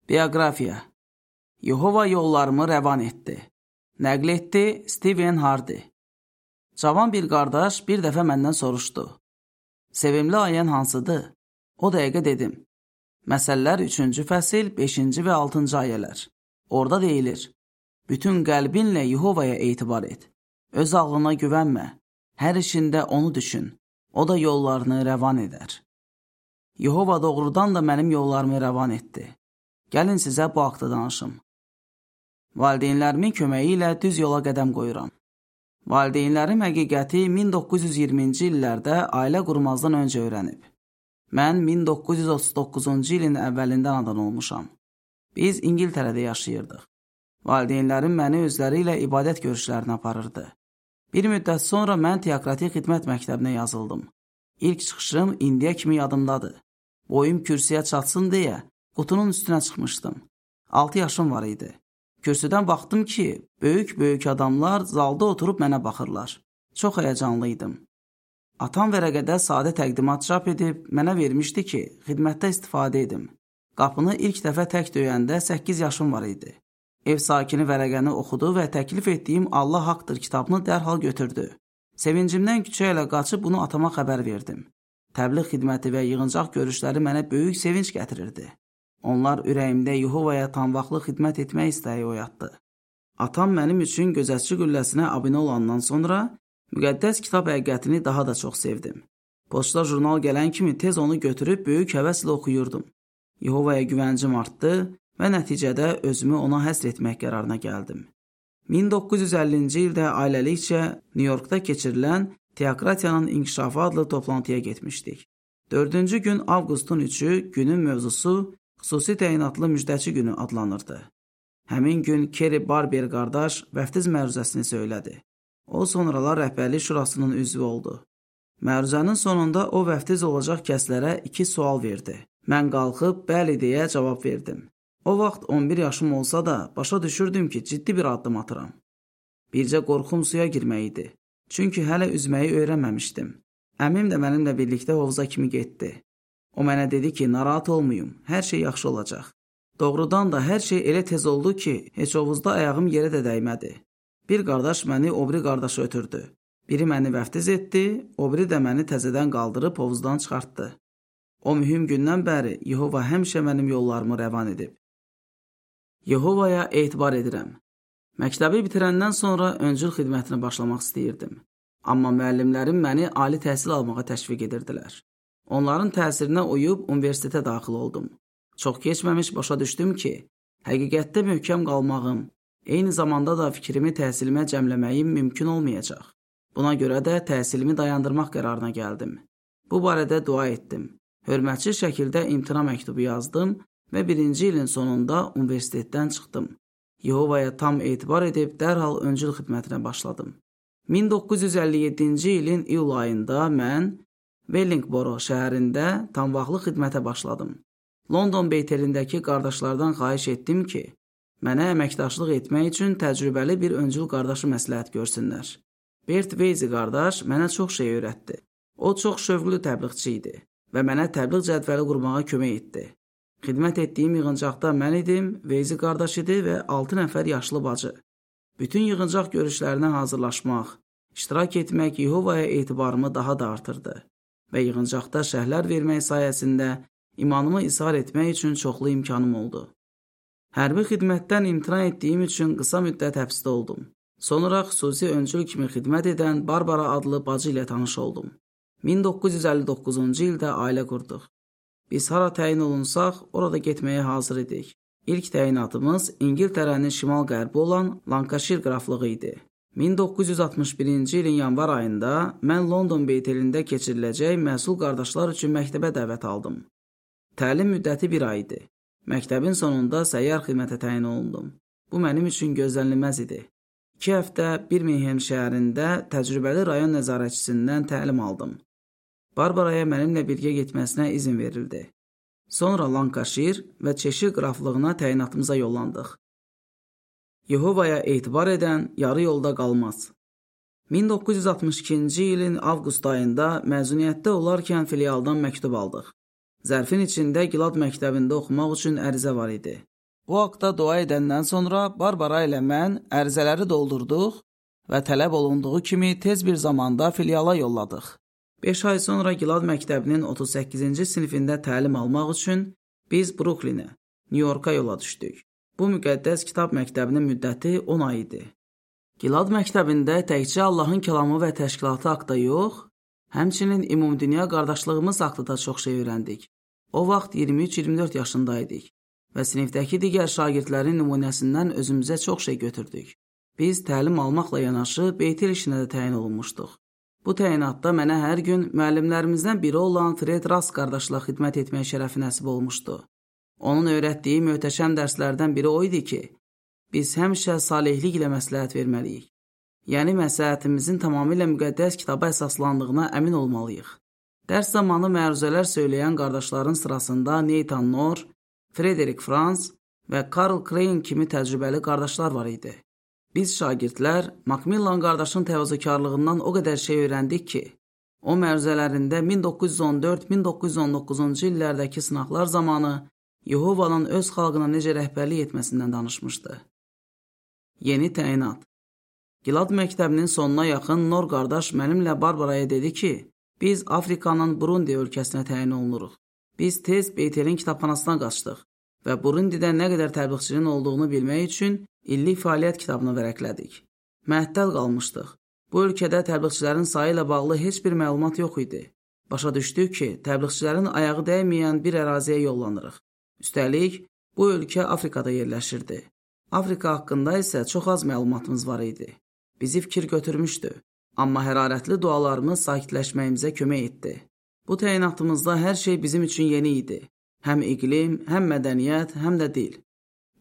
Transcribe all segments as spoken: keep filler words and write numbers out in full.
Bioqrafiya. Yehova yollarımı rəvan etdi. Nəql etdi Stephen Hardy. Cavan bir qardaş bir dəfə məndən soruşdu. Sevimli ayən hansıdır? O dəqiqə dedim. Məsəllər üçüncü fəsil, beşinci və altıncı ayələr. Orada deyilir. Bütün qəlbinlə Yehovaya etibar et. Öz ağlına güvənmə. Hər işində onu düşün. O da yollarını rəvan edər. Yehova doğrudan da mənim yollarımı rəvan etdi. Gəlin sizə bu haqda danışım. Valideynlərimin köməyi ilə düz yola qədəm qoyuram. Valideynlərim həqiqəti min doqquz yüz iyirminci illərdə ailə qurmazdan öncə öyrənib. Mən min doqquz yüz otuz doqquzuncu ilin əvvəlindən anadan olmuşam. Biz İngiltərədə yaşayırdıq. Valideynlərim məni özləri ilə ibadət görüşlərinə aparırdı. Bir müddət sonra mən teokratik xidmət məktəbinə yazıldım. İlk çıxışım indiyə kimi yadımdadır. Boyum kürsüyə çatsın deyə qutunun üstünə çıxmışdım. altı yaşım var idi. Kürsüdən baxdım ki, böyük-böyük adamlar zalda oturub mənə baxırlar. Çox həyəcanlıydım. Atam vərəqədə sadə təqdimat çap edib mənə vermişdi ki, xidmətdə istifadə edim. Qapını ilk dəfə tək döyəndə səkkiz yaşım var idi. Ev sakini vərəqəni oxudu və təklif etdiyim Allah haqdır kitabını dərhal götürdü. Sevincimdən küçə ilə qaçıb bunu atama xəbər verdim. Təbliğ xidməti və yığıncaq görüşləri mənə böyük sevinç gətirirdi. Onlar ürəyimdə Yehovaya tam vaxtlı xidmət etmək istəyi oyatdı. Atam mənim üçün gözətçi qülləsinə abunə olandan sonra müqəddəs kitab həqiqətini daha da çox sevdim. Poçta jurnal gələn kimi tez onu götürüb böyük həvəslə oxuyurdum. Yehovaya güvəncim artdı və nəticədə özümü ona həsr etmək qərarına gəldim. min doqquz yüz əllinci ildə ailəlikcə Nyu-Yorkda keçirilən Teokratiyanın İnkişafı adlı toplantıya getmişdik. Dördüncü gün avqustun üçü günün mövzusu xüsusi təyinatlı müjdəçi günü adlanırdı. Həmin gün Kerry Barber qardaş vəftiz məruzəsini söylədi. O sonralar rəhbərlik şurasının üzvü oldu. Məruzənin sonunda o vəftiz olacaq kəslərə iki sual verdi. Mən qalxıb bəli deyə cavab verdim. O vaxt on bir yaşım olsa da başa düşürdüm ki, ciddi bir addım atıram. Bircə qorxum suya girmək idi. Çünki hələ üzməyi öyrənməmişdim. Əmim də mənimlə birlikdə hovuza kimi getdi. O mənə dedi ki, narahat olmayım, hər şey yaxşı olacaq. Doğrudan da hər şey elə tez oldu ki, heç hovuzda ayağım yerə də dəymədi. Bir qardaş məni o biri qardaşı ötürdü. Biri məni vəftiz etdi, o biri də məni təzədən qaldırıb hovuzdan çıxartdı. O mühüm gündən bəri Yehova həmişə mənim yollarımı rəvan edib. Yehovaya etibar edirəm. Məktəbi bitirəndən sonra öncül xidmətinə başlamaq istəyirdim. Amma müəllimlərim məni ali təhsil almağa təşviq edirdilər. Onların təsirinə uyub universitetə daxil oldum. Çox keçməmiş başa düşdüm ki, həqiqətdə möhkəm qalmağım, eyni zamanda da fikrimi təhsilimə cəmləməyim mümkün olmayacaq. Buna görə də təhsilimi dayandırmaq qərarına gəldim. Bu barədə dua etdim. Hörmətçi şəkildə imtina məktubu yazdım və birinci ilin sonunda universitetdən çıxdım. Yehovaya tam etibar edib dərhal öncül xidmətinə başladım. min doqquz yüz əlli yeddinci ilin iyul ayında mən Wellingboro şəhərində tam vaxtlı xidmətə başladım. London Beytelindəki qardaşlardan xahiş etdim ki, mənə əməkdaşlıq etmək üçün təcrübəli bir öncül qardaşı məsləhət görsünlər. Bert Weizi qardaş mənə çox şey öyrətdi. O çox şövqlü təbliğçi idi və mənə təbliğ cədvəli qurmağa kömək etdi. Xidmət etdiyim yığıncaqda mən idim, Weizi qardaş idi və altı nəfər yaşlı bacı. Bütün yığıncaq görüşlərinə hazırlaşmaq, iştirak etmək Yehovaya etibarımı daha da artırdı və yığıncaqda şərhlər vermək sayəsində imanımı izhar etmək üçün çoxlu imkanım oldu. Hərbi xidmətdən imtina etdiyim üçün qısa müddət həbsdə oldum. Sonra xüsusi öncül kimi xidmət edən Barbara adlı bacı ilə tanış oldum. min doqquz yüz əlli doqquzuncu ildə ailə qurduq. Biz hara təyin olunsaq, orada getməyə hazır idik. İlk təyinatımız İngiltərənin şimal-qərbi olan Lancashire qraflığı idi. min doqquz yüz altmış birinci ilin yanvar ayında mən London Beytelində keçiriləcək məsul qardaşlar üçün məktəbə dəvət aldım. Təlim müddəti bir ay idi. Məktəbin sonunda səyyar xidmətə təyin olundum. Bu mənim üçün gözlənilməz idi. İki həftə Birmingham şəhərində təcrübəli rayon nəzarətçisindən təlim aldım. Barbaraya mənimlə birgə getməsinə izin verildi. Sonra Lancashire və Cheshire qraflığına təyinatımıza yollandıq. Yehovaya etibar edən yarı yolda qalmaz. min doqquz yüz altmış ikinci ilin avqust ayında məzuniyyətdə olarkən filialdan məktub aldıq. Zərfin içində Gilad məktəbində oxumaq üçün ərizə var idi. Bu haqda dua edəndən sonra Barbara ilə mən ərizələri doldurduq və tələb olunduğu kimi tez bir zamanda filiala yolladıq. beş ay sonra Gilad məktəbinin otuz səkkizinci sinifində təlim almaq üçün biz Bruklinə, Nyu-Yorka yola düşdük. Bu müqəddəs kitab məktəbinin müddəti on ay idi. Gilad məktəbində təkcə Allahın kəlamı və təşkilatı haqda yox, həmçinin ümumdünya qardaşlığımız haqda da çox şey öyrəndik. O vaxt iyirmi üç iyirmi dörd yaşındaydıq və sinifdəki digər şagirdlərin nümunəsindən özümüzə çox şey götürdük. Biz təlim almaqla yanaşı beytil işinə də təyin olunmuşduq. Bu təyinatda mənə hər gün müəllimlərimizdən biri olan Fred Rast qardaşla xidmət etmək şərəfi nəsib olmuşdu. Onun öyrətdiyi möhtəşəm dərslərdən biri o idi ki, biz həmişə salihlik ilə məsləhət verməliyik. Yəni, məsləhətimizin tamamilə müqəddəs kitaba əsaslandığına əmin olmalıyıq. Dərs zamanı məruzələr söyləyən qardaşların sırasında Nathan Knorr, Frederick Franz və Karl Crane kimi təcrübəli qardaşlar var idi. Biz şagirdlər Macmillan qardaşın təvazökarlığından o qədər şey öyrəndik ki, o məruzələrində min doqquz yüz on dörd min doqquz yüz on doqquzuncu illərdəki sınaqlar zamanı Yehovanın öz xalqına necə rəhbərlik etməsindən danışmışdı. Yeni təyinat. Gilad məktəbinin sonuna yaxın Nor qardaş mənimlə Barbaraya dedi ki, biz Afrikanın Burundi ölkəsinə təyin olunuruq. Biz tez Beytelin kitabxanasına qaçdıq və Burundidə nə qədər təbliğçinin olduğunu bilmək üçün illik fəaliyyət kitabını vərəqlədik. Məəttəl qalmışdıq. Bu ölkədə təbliğçilərin sayı ilə bağlı heç bir məlumat yox idi. Başa düşdük ki, təbliğçilərin ayağı dəyməyən bir əraziyə yollanırıq. Üstəlik, bu ölkə Afrikada yerləşirdi. Afrika haqqında isə çox az məlumatımız var idi. Bizi fikir götürmüşdü, amma hərarətli dualarımız sakitləşməyimizə kömək etdi. Bu təyinatımızda hər şey bizim üçün yeni idi. Həm iqlim, həm mədəniyyət, həm də dil.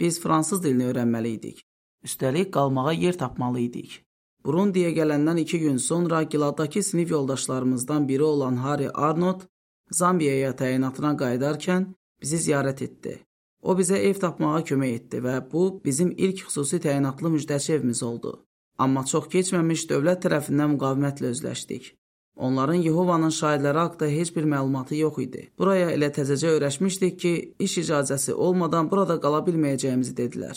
Biz fransız dilini öyrənməli idik. Üstəlik, qalmağa yer tapmalı idik. Burundiyə gələndən iki gün sonra Giladdakı sinif yoldaşlarımızdan biri olan Harry Arnott Zambiyaya təyinatına qayıdarkən bizi ziyarət etdi. O bizə ev tapmağa kömək etdi və bu bizim ilk xüsusi təyinatlı müjdəçi evimiz oldu. Amma çox keçməmiş dövlət tərəfindən müqavimətlə özləşdik. Onların Yehovanın şahidləri haqda heç bir məlumatı yox idi. Buraya elə təzəcə öyrəşmişdik ki, iş icazəsi olmadan burada qala bilməyəcəyimizi dedilər.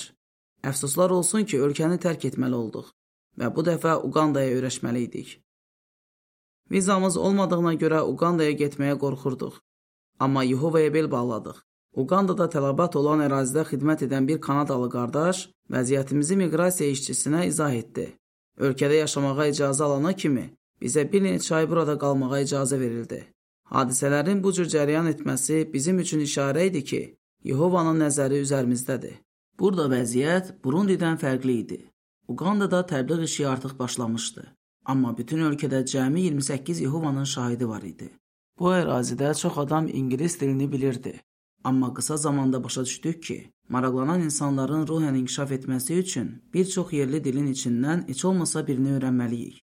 Əfsuslar olsun ki, ölkəni tərk etməli olduq və bu dəfə Uqandaya öyrəşməli idik. Vizamız olmadığına görə Uqandaya getməyə qorxurduq. Amma Yehovaya bel bağladıq. Uqandada tələbat olan ərazidə xidmət edən bir Kanadalı qardaş vəziyyətimizi miqrasiya işçisinə izah etdi. Ölkədə yaşamağa icazə alana kimi bizə bir neçə ay burada qalmağa icazə verildi. Hadisələrin bu cür cərəyan etməsi bizim üçün işarə idi ki, Yehovanın nəzəri üzərimizdədir. Burada vəziyyət Burundidən fərqli idi. Uqandada təbliğ işi artıq başlamışdı. Amma bütün ölkədə cəmi iyirmi səkkiz Yehovanın şahidi var idi. Bu ərazidə çox adam ingilis dilini bilirdi. Amma qısa zamanda başa düşdük ki, maraqlanan insanların ruhən inkişaf etməsi üçün bir çox yerli dilin içindən heç olmasa birini öyrənməliyik.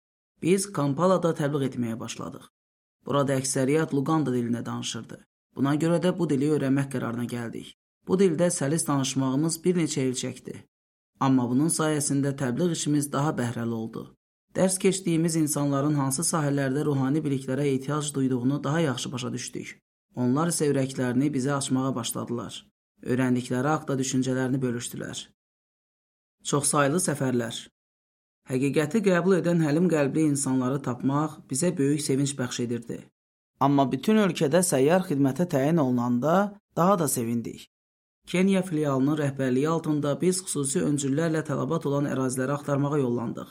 Biz Kampalada təbliğ etməyə başladıq. Burada əksəriyyət Luganda dilində danışırdı. Buna görə də bu dili öyrənmək qərarına gəldik. Bu dildə səlis danışmağımız bir neçə il çəkdi. Amma bunun sayəsində təbliğ işimiz daha bəhrəli oldu. Dərs keçdiyimiz insanların hansı sahələrdə ruhani biliklərə ehtiyac duyduğunu daha yaxşı başa düşdük. Onlar isə ürəklərini bizə açmağa başladılar. Öyrəndikləri haqda düşüncələrini bölüşdülər. Çoxsaylı səfərlər. Həqiqəti qəbul edən həlim qəlbli insanları tapmaq bizə böyük sevinç bəxş edirdi. Amma bütün ölkədə səyyar xidmətə təyin olunanda daha da sevindik. Kenya filialının rəhbərliyi altında biz xüsusi öncüllərlə tələbat olan əraziləri axtarmağa yollandıq.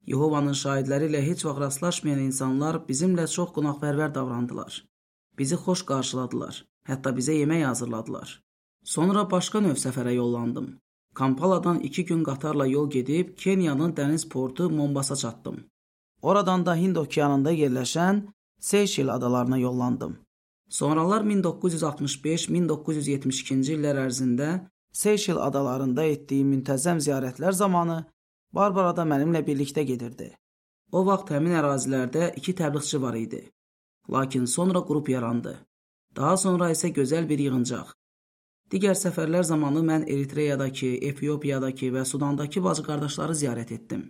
Yehovanın şahidləri ilə heç vaxt rastlaşmayan insanlar bizimlə çox qonaqpərvər davrandılar. Bizi xoş qarşıladılar, hətta bizə yemək hazırladılar. Sonra başqa növ səfərə yollandım. Kampaladan iki gün qatarla yol gedib Kenyanın dəniz portu Mombasa çatdım. Oradan da Hind okeanında yerləşən Seyşel adalarına yollandım. Sonralar min doqquz yüz altmış beş min doqquz yüz yetmiş ikinci illər ərzində Seyşel adalarında etdiyim müntəzəm ziyarətlər zamanı Barbara da mənimlə birlikdə gedirdi. O vaxt həmin ərazilərdə iki təbliğçi var idi. Lakin sonra qrup yarandı. Daha sonra isə gözəl bir yığıncaq. Digər səfərlər zamanı mən Eritreyadakı, Efiopiyadakı və Sudandakı bacı qardaşları ziyarət etdim.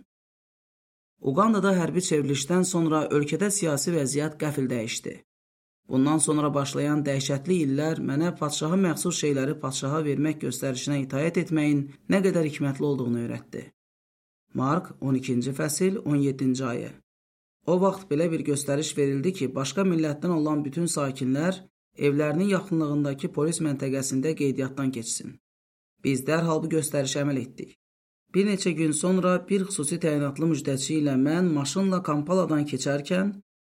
Uqandada hərbi çevrilişdən sonra ölkədə siyasi vəziyyət qəfil dəyişdi. Bundan sonra başlayan dəhşətli illər mənə padşaha məxsus şeyləri padşaha vermək göstərişinə itaət etməyin nə qədər hikmətli olduğunu öyrətdi. Mark on ikinci fəsil on yeddinci ayə. O vaxt belə bir göstəriş verildi ki, başqa millətdən olan bütün sakinlər evlərinin yaxınlığındakı polis məntəqəsində qeydiyyatdan keçsin. Biz dərhal bu göstərişə əməl etdik. Bir neçə gün sonra bir xüsusi təyinatlı müjdəçi ilə mən maşınla Kampaladan keçərkən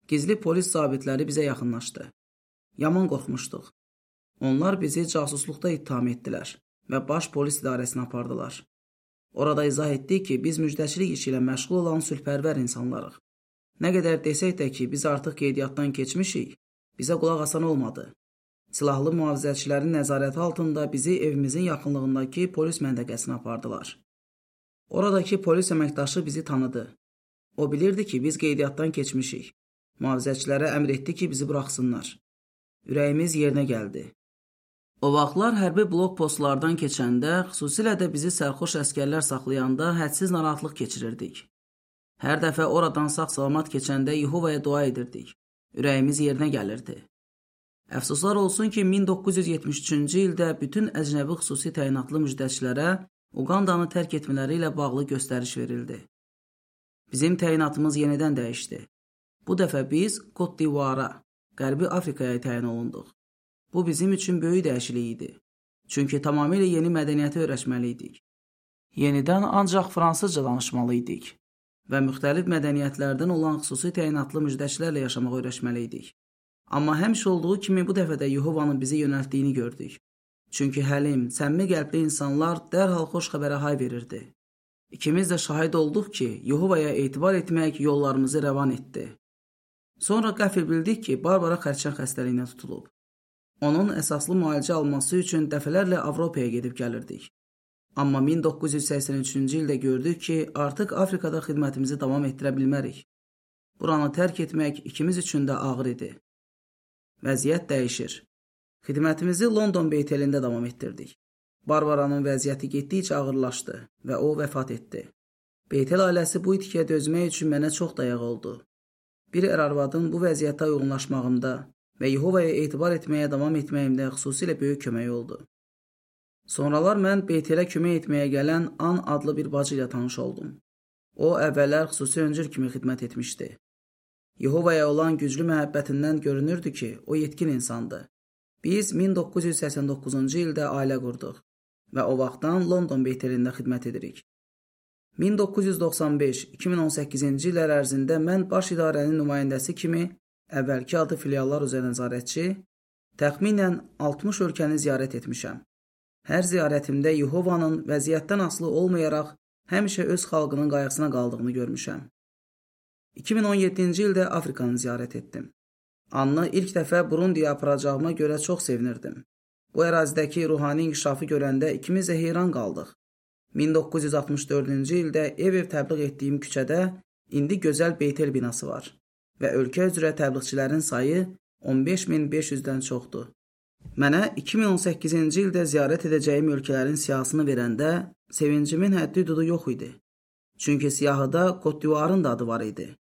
gizli polis zabitləri bizə yaxınlaşdı. Yaman qorxmuşduq. Onlar bizi casusluqda ittiham etdilər və baş polis idarəsinə apardılar. Orada izah etdik ki, biz müjdəçilik işi ilə məşğul olan sülhpərvər insanlarıq. Nə qədər desək də ki, biz artıq qeydiyyatdan keçmişik, bizə qulaq asan olmadı. Silahlı mühafizəçilərin nəzarəti altında bizi evimizin yaxınlığındakı polis məntəqəsinə apardılar. Oradakı polis əməkdaşı bizi tanıdı. O bilirdi ki, biz qeydiyyatdan keçmişik. Mühafizəçilərə əmr etdi ki, bizi buraxsınlar. Ürəyimiz yerinə gəldi. O vaxtlar hərbi blok postlardan keçəndə, xüsusilə də bizi sərxoş əskərlər saxlayanda hədsiz narahatlıq keçirirdik. Hər dəfə oradan sağ-salamat keçəndə Yehovaya dua edirdik. Ürəyimiz yerinə gəlirdi. Əfsuslar olsun ki, min doqquz yüz yetmiş üçüncü ildə bütün əcnəbi xüsusi təyinatlı müjdəçilərə Uqandanı tərk etmələri ilə bağlı göstəriş verildi. Bizim təyinatımız yenidən dəyişdi. Bu dəfə biz Côte d'Ivoire, Qərbi Afrikaya təyin olunduq. Bu bizim üçün böyük dəyişiklik idi. Çünki tamamilə yeni mədəniyyəti öyrəşməli idik. Yenidən ancaq fransızca danışmalı idik və müxtəlif mədəniyyətlərdən olan xüsusi təyinatlı müjdəçilərlə yaşamağı öyrəşməli idik. Amma həmişə olduğu kimi bu dəfə də Yehovanın bizi yönəltdiyini gördük. Çünki həlim, səmimi qəlbli insanlar dərhal xoş xəbərə hay verirdi. İkimiz də şahid olduq ki, Yehovaya etibar etmək yollarımızı rəvan etdi. Sonra qəfil bildik ki, Barbara xərçəng xəstəliyinə tutulub. Onun əsaslı müalicə alması üçün dəfələrlə Avropaya gedib gəlirdik. Amma min doqquz yüz səksən üçüncü ildə gördük ki, artıq Afrikada xidmətimizi davam etdirə bilmərik. Buranı tərk etmək ikimiz üçün də ağır idi. Vəziyyət dəyişir. Xidmətimizi London Beytelində davam etdirdik. Barbaranın vəziyyəti getdikcə ağırlaşdı və o vəfat etdi. Beytel ailəsi bu itkiyə dözmək üçün mənə çox dayaq oldu. Bir ər-arvadın bu vəziyyətə uyğunlaşmağımda və Yehovaya etibar etməyə davam etməyimdə xüsusilə böyük kömək oldu. Sonralar mən Beytelə kömək etməyə gələn An adlı bir bacı ilə tanış oldum. O, əvvəllər xüsusi öncül kimi xidmət etmişdi. Yehovaya olan güclü məhəbbətindən görünürdü ki, o yetkin insandı. Biz min doqquz yüz səksən doqquzuncu ildə ailə qurduq və o vaxtdan London Beytelində xidmət edirik. min doqquz yüz doxsan beş iki min on səkkizinci illər ərzində mən baş idarənin nümayəndəsi kimi əvvəlki adı filiallar üzrə nəzarətçi, təxminən altmış ölkəni ziyarət etmişəm. Hər ziyarətimdə Yehovanın vəziyyətdən asılı olmayaraq həmişə öz xalqının qayğısına qaldığını görmüşəm. iki min on yeddinci ildə Afrikanı ziyarət etdim. Anını ilk dəfə Burundiyə aparacağıma görə çox sevinirdim. Bu ərazidəki ruhani inkişafı görəndə ikimiz də heyran qaldıq. min doqquz yüz altmış dördüncü ildə ev-ev təbliğ etdiyim küçədə indi gözəl Beytel binası var və ölkə üzrə təbliğçilərin sayı on beş min beş yüzdən çoxdur. Mənə iki min on səkkizinci ildə ziyarət edəcəyim ölkələrin siyahısını verəndə sevincimin həddi-hüdudu yox idi. Çünki siyahıda Côte d'Ivoire'ın da adı var idi.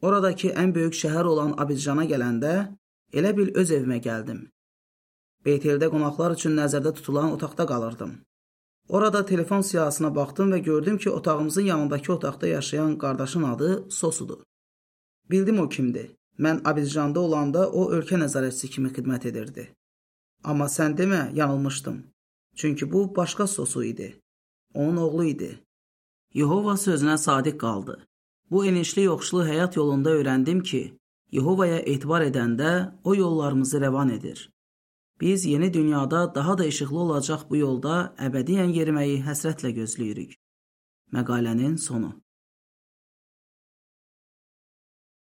Oradakı ən böyük şəhər olan Abidjana gələndə elə bil öz evimə gəldim. Beyteldə qonaqlar üçün nəzərdə tutulan otaqda qalırdım. Orada telefon siyahısına baxdım və gördüm ki, otağımızın yanındakı otaqda yaşayan qardaşın adı Sosudur. Bildim o kimdir. Mən Abidjanda olanda o ölkə nəzarətçisi kimi xidmət edirdi. Amma sən demə, yanılmışdım. Çünki bu başqa Sosu idi. Onun oğlu idi. Yehova sözünə sadiq qaldı. Bu enişli yoxuşlu həyat yolunda öyrəndim ki, Yehovaya etibar edəndə o yollarımızı rəvan edir. Biz yeni dünyada daha da işıqlı olacaq bu yolda əbədiyyən yeriməyi həsrətlə gözləyirik. Məqalənin sonu.